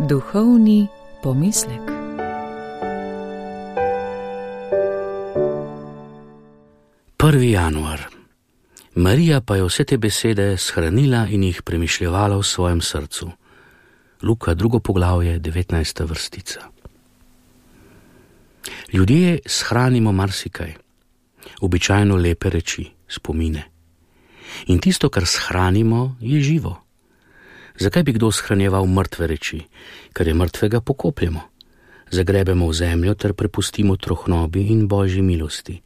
Duhovni pomislek. Prvi januar. Marija pa je vse te besede shranila in jih premišljevala v svojem srcu. Luka 2. poglavje, 19. vrstica. Ljudje shranimo marsikaj, običajno lepe reči, spomine. In tisto, kar shranimo, je živo. Zakaj bi kdo shranjeval mrtve reči? Ker je mrtvega pokopljemo. Zagrebemo v zemljo ter prepustimo trohnobi in Božji milosti.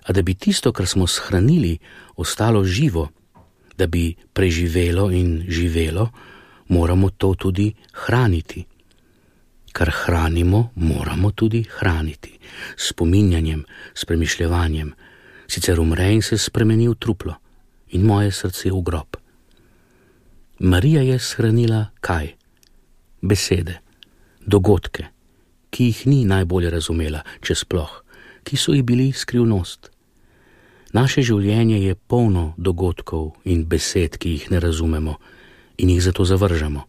A da bi tisto, kar smo shranili, ostalo živo, da bi preživelo in živelo, moramo to tudi hraniti. Kar hranimo, moramo tudi hraniti. S spominjanjem, s premišljevanjem. Sicer umre in se spremeni v truplo in moje srce v grob. Marija je shranila kaj? Besede, dogodke, ki jih ni najbolje razumela, če sploh, ki so ji bili skrivnost. Naše življenje je polno dogodkov in besed, ki jih ne razumemo in jih zato zavržemo.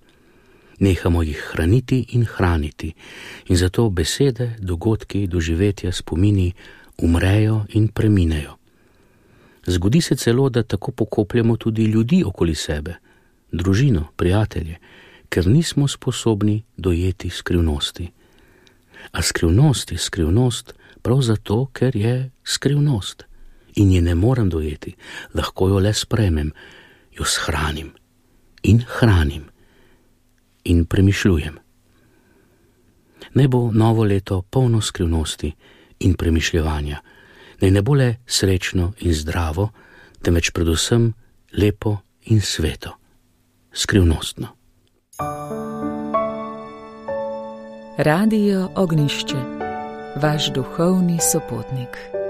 Nehamo jih hraniti in hraniti in zato besede, dogodki, doživetja, spomini umrejo in preminejo. Zgodi se celo, da tako pokopljemo tudi ljudi okoli sebe, družino, prijatelje, ker nismo sposobni dojeti skrivnosti. A skrivnost je skrivnost prav zato, ker je skrivnost. In je ne morem dojeti, lahko jo le sprejmem, jo shranim in hranim in premišljujem. Naj bo novo leto polno skrivnosti in premišljevanja, naj ne bo le srečno in zdravo, temveč predvsem lepo in sveto, skrivnostno. Radio Ognjišče, vaš duhovni sopotnik.